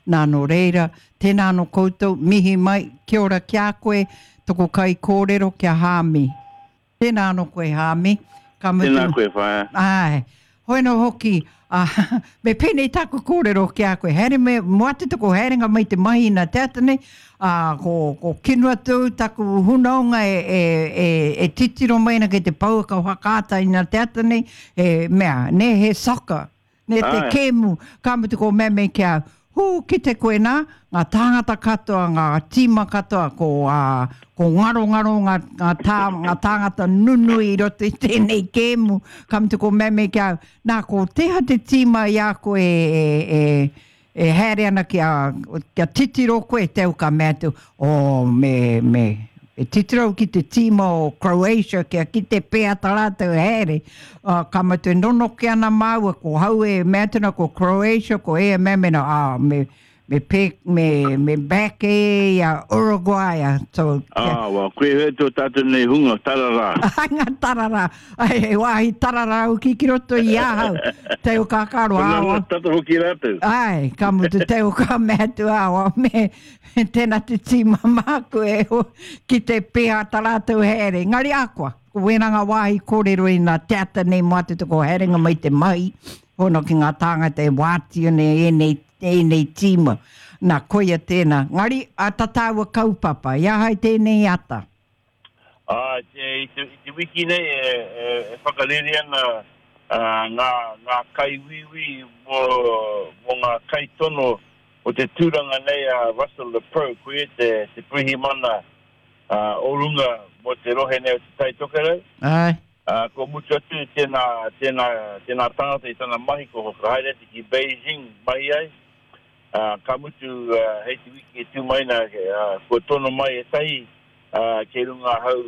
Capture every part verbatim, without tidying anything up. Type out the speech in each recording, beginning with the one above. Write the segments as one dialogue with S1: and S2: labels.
S1: Nā nō reira, tēnā anō koutou, mihi mai, kia ora ki a koe, toko kaikōrero kia Hāmi. Tēnā anō koe Hāmi. Ka mutu.
S2: Tēnā koe whaea.
S1: Āe. Hoi anō hoki, ā, me pēnei tāku kōrero ki a koe, haere me, mō atu toko haerenga mai te mahi nā te ata nei, ā, ko, ko Kenuatu taku hunaonga e, e, e, e titiro mai ana ki te pouaka whakaata i nā te ata nei, he mea, nē, he soccer, nē, te
S2: Āe.
S1: kēmu, ka mutu ko Meme ki a au, Hū, kite koe nā, ngā tāngata katoa, ngā tīma katoa, ko, ā, ko ngarongaro ngā, ngā, tā, ngā tāngata nunui i roto i tēnei kēmu, ka mutu ko Meme ki a au, nā, ko teha te tīma i a koe e, e, e, e haere ana kia, kia titiro koe, te au ka mea atu, oh, me, me, E titiro au ki te tīma o Croatia kia kite pēa tā rātou haere. Uh, ka mutu e nonoke ana māua, ko hau e mea atu ana ko Croatia, ko ea mea mena, ah, me, me, pe, me, me back e i a Uruguay. Ah, so, kia,
S2: Ah, well, koe hea tō tātou nei hunga, tararā.
S1: Ai, ngā tararā. Ai, he wāhi tararā hoki ki roto i ahau. Te o kākaro,
S2: Ko ngā
S1: ā,
S2: hunga tata hoki rātou.
S1: Ai, ka mutu te o ka mea atu awa me tēnā te tīma māku e ho, ki te pēhā tā rātou haere. Engari akoa, ko wēnā ngā wāhi kōrero i nā te ata nei mō atu te ko haerenga mai te mahi, hono ki ngā tāngata e wātia nei ēnei, ēnei tīma. Nā, koia tēnā. Ngari, a tā tāua kaupapa, i ahai tēnei ata?
S2: Ā, te, i te, i te wiki nei e, e, e whakarere ana ngā, ngā kaiuiui mō, mō ngā kaitono o te tūranga nei a Russell Leproux, ko ia te, te pirihimana o runga mō te rohe nei o Te Tai Tokerau.
S1: Āe.
S2: Ā, kua mutu atu tēnā, tēnā, tēnā tangata i tana mahi, kua whakahaere atu ki Beijing mahi ai. Ā, ka mutu hei te wiki e tū mai nā, kua tono mai ētahi ā, kei runga ahau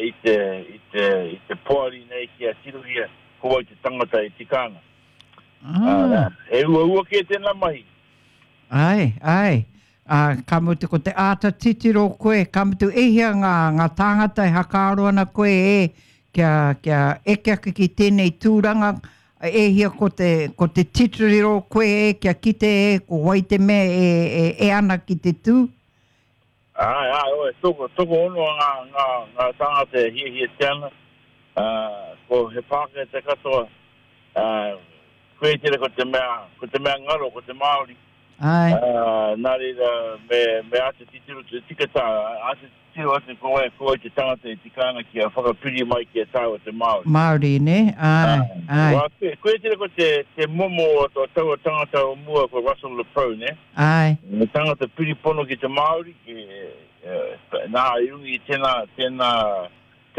S2: i te, i te, i te poari nei kia tirohia ko wai te tangata e tika ana.
S1: Ah.
S2: Ā, he uaua kē tēnā mahi.
S1: Āe, āe. Ā, ka mutu ko te āta titiro koe, ka mutu e hia ngā, ngā tāngata e hakaaro ana koe e, kia, kia eke ake ki tēnei tūranga, e hia ko te, ko te titiro koe e, kia kite e, ko wai te mea e, e, e ana ki te tū?
S2: Āe, āe, oe, toko, tokoono ngā, ngā, ngā tāngata e hiahiatia ana, ā, ko he Pākehā te katoa, ā, koe tērā ko te mea, ko te mea ngaro, ko te Māori.
S1: Āe.
S2: Ā, nā reira, me, me āta titiro te tika tā, āta titiro atu ko wai, ko wai te tangata e tika ana kia whakapiri mai ki a tāua te Māori.
S1: Māori, nē? Āe, āe.
S2: Wā, koe, koe tērā ko te, te momo o, o taua tangata o mua ko Russell Leproux, nē?
S1: Āe.
S2: He tangata piripono ki te Māori, ki, nā, i runga i tēnā, tēnā,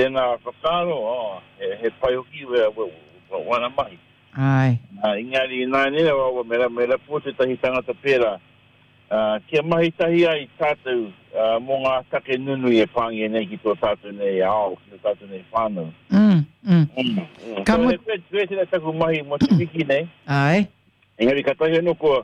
S2: tēnā whakaaro, oh, he, he pai hoki wana mahi.
S1: Āe.
S2: Ā, engari ināianei rawa, me, me rapu tētahi tangata pērā, ā, kia mahi tahi ai tātou, ā, mō ngā take nunui e pāngia nei ki tō tātou nei ao, ki tō tātou nei whānau.
S1: Mm, mm.
S2: Mm, mm.
S1: Ka
S2: So,
S1: mu-
S2: he koe, koe tēnā taku mahi mō te wiki nei.
S1: Āe.
S2: Engari katahi anō kua,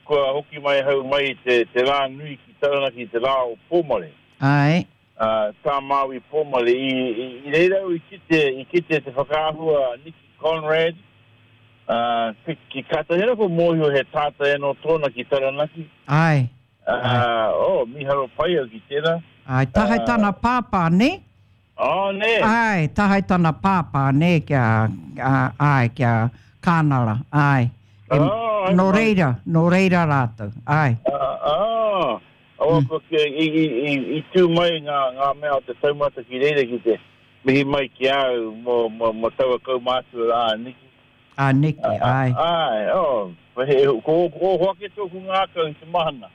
S2: kua hoki mai ahau mai i te, te rā nui ki Taranaki, te rā o Pōmare.
S1: Āe.
S2: Ā, tā Māui Pōmare. I, i, i reira au i kite, i kite te whakaahua a Nicky Conrad, ā, ki, ki katahi anō kua mōhio he tātai anō tōna ki Taranaki.
S1: Āe.
S2: Ā, oh, mīharo pai au ki tērā.
S1: Āe, tahae tana pāpā, nē?
S2: Oh, nē?
S1: Āe, tahae tana pāpā, nē, kia, ā, āe, kia Kānara, āe. E,
S2: Oh,
S1: nō reira, nō reira rātou, āe.
S2: Ah, ah, oh, mm. i, i, i, i tū mai ngā, ngā mea o te taumata ki reira ki te mihi mai ki au mō, mō, mō taua kaumātua rā, a Niki.
S1: A Niki, āe.
S2: Āe, oh, he, ko, ko oho ake tōku ngākau i te mahana.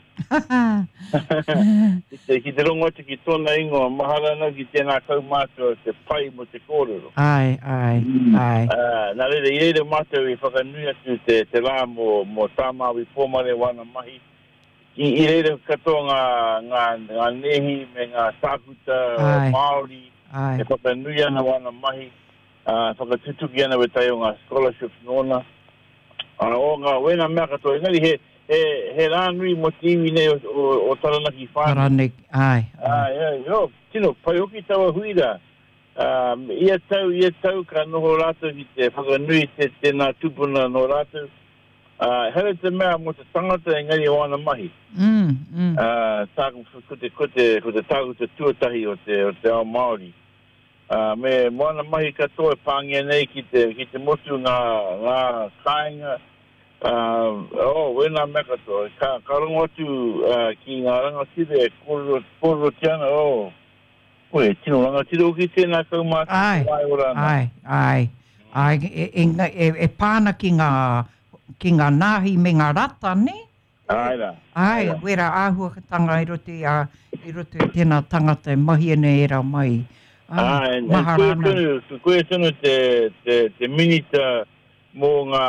S2: Ki te, ki te rongo atu ki tōna ingoa, mahara ana ki tēnā kaumātua te pai mō te kōrero.
S1: Āe, āe, āe.
S2: Ā, nā reira, i reira mātou i whakanui atu te, te rā mō, mō tā Māui Pōmare wāna mahi. I, i reira katoa ngā, ngā, ngā nēhi me ngā tākuta
S1: Āe.
S2: Māori
S1: Āe.
S2: e whakanui ana wāna mahi, ā, whakatutuki ana wētahi o ngā scholarships nōna. Ā, o ngā, wēnā mea katoa, engari he, he, he rā nui mō te iwi nei o, o, o Taranaki whānui.
S1: Taranaki, āe, āe.
S2: Āe, āe, oh, tino pai hoki taua hui rā. Ā, ia tau, ia tau ka noho rātou ki te whakanui te, tēnā tupuna nō rātou. Uh, here te mea mō te tangata engari o ana mahi.
S1: Mm, mm.
S2: Uh, tāku, ko te, ko te, ko te tākuta tuatahi o te, o te ao Māori. Uh, me mō ana mahi katoa e pāngia nei ki te, ki te motu ngā, ngā kāinga, uh, oh, wēnā mea katoa. Ka, ka rongo atu uh, ki ngā rangatira e kōrero, kōrerotia ana, oh, oi, tino rangatira hoki tēnā kaumātua
S1: Ai,
S2: wai ora ana.
S1: Ai, ai, ai, e, e, e, e pāna ki ngā, ki ngā nāhi me ngā rata, ne?
S2: Ai rā.
S1: Ai,
S2: Ai rā.
S1: wera āhuatanga i roto i, a, i roto i tēnā tangata e mahi ana e rā mai.
S2: Ah,
S1: Ai,
S2: and, and
S1: mahara
S2: koe
S1: ana.
S2: tonu, koe tonu te, te, te minita mō ngā,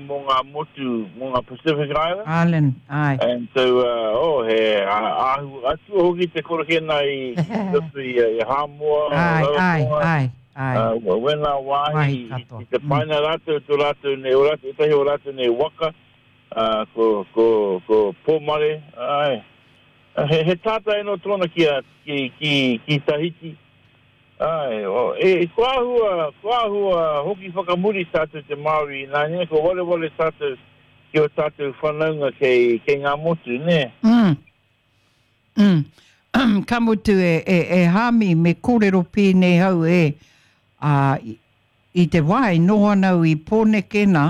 S2: mō ngā motu, mō ngā Pacific Islands.
S1: Island, ai.
S2: And so, uh, oh, he āhu atua hoki te korokena i, i roto i, i Hamoa,
S1: Ai, ai,
S2: Rarotonga,
S1: ai, ai.
S2: uh, wena
S1: Wāhi
S2: wāhi, i,
S1: katoa.
S2: i te
S1: Mm.
S2: paina rātou, tō rātou nei, o rātou, etahi o rātou nei waka, uh, ko, ko, ko Pōmare, ai. He, he tātai no tōna ki, a, ki, ki, ki Tahiti. Ai, o, e, ko āhua, ko āhua hoki whakamuri tātou te Māori, nā nē, ko wareware tātou ki o tātou whanaunga kei, kei ngā motu, nē.
S1: Mm. Mm. Ka mutu e, e, e Hami me kōrero pēnei hau e a, i, i te wā i noho ana au i Pōneke nā,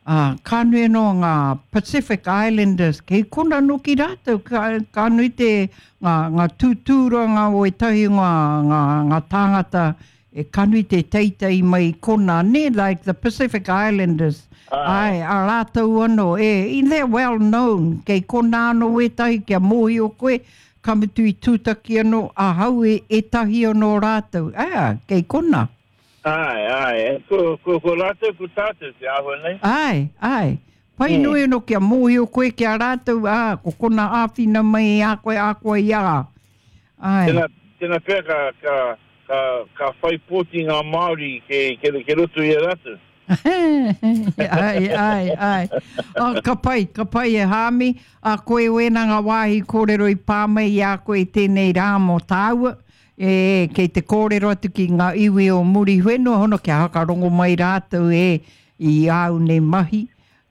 S1: a, ka nui anō ngā Pacific Islanders, kei kona noki rātou, ka, ka nui te ngā, ngā tūtūranga o ētahi ngā, ngā, ngā tāngata, e ka nui te teitei mai i kona, ne, like the Pacific Islanders.
S2: Ai.
S1: Ai, a rātou anō, e, i they're well known, kei kona anō ētahi kia mōhio koe, ka mutu i tūtaki anō, ahau e ētahi anō rātou, ah, kei kona.
S2: Ai, ai, e, ko, ko, ko rātou, ko tātou te āhua nei.
S1: Ai, ai. Pai
S2: Mm.
S1: nui anō kia mōhio koe ki a rātou, ah, ko kona āwhina mai i a koe, a koe i a. Ai.
S2: Tēnā, tēnā pea ka, ka, ka, ka whai pōti ngā Māori ke, ke, ke roto i a rātou.
S1: Ai, ai, ai. Oh, ka pai, ka pai e Hami. A koe wēnā ngā wāhi kōrero i pā mai i a koe i tēnei rā mō tāua. E, kei te kōrero atu ki ngā iwi o Muriwhenua, hono kia hakarongo mai rātou e i āu nei mahi.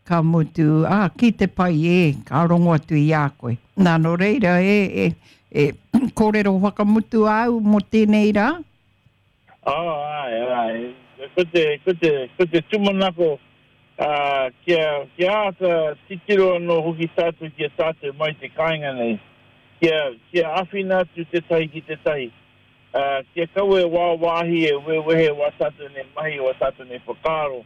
S1: Ka mutu, ah, ki te pai e, ka rongo atu i a koe. Nā, nō reira, e, e, e, kōrero whakamutu au mō tēnei rā?
S2: Oh, ai, ai. Ko te, ko te, ko te tūmanako, uh, kia, kia āta titiro anō hoki tātou ki a tātou mai te kāinga nei. Kia, kia āwhina atu tētahi ki tētahi. Uh, kia kaua e wāwāhi e wewehe wā tātou nei mahi, wā tātou nei whakaaro.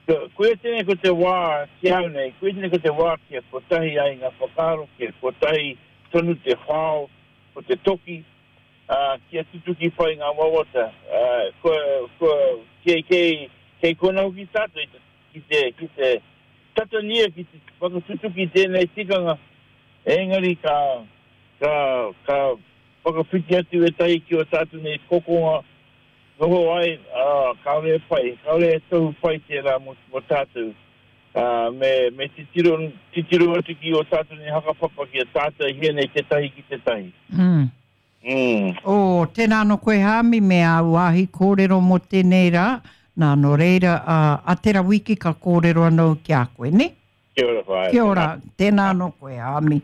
S2: Ko, koe tēnei ko te wā ki au nei, koe tēnei ko te wā kia kotahi ai ngā whakaaro, kia kotahi tonu te whao, ko te toki, uh, kia tutuki pai ngā wawata. Uh, ko, ko, kei, kei, kei kona hoki tātou i te, ki te, ki te tatania ki te whakatutuki tēnei tikanga, engari ka, ka, ka whakawhiti atu ētahi ki o tātou nei kokonga, noho ai, uh, kāore e pai, kāore e tohu pai tērā mō, mō tātou. Uh, me, me titiro, titiro atu ki o tātou nei hakapapa ki a tātou hia nei tētahi ki tētahi.
S1: Mm.
S2: Mm.
S1: O, tēnā no koe Hami me āu wāhi kōrero mō tēnei rā. Nā, nō reira, uh, a tera wiki ka kōrero anō ki a koe, ne?
S2: Kia ora whaea.
S1: Kia ora, tēnā no koe Hami.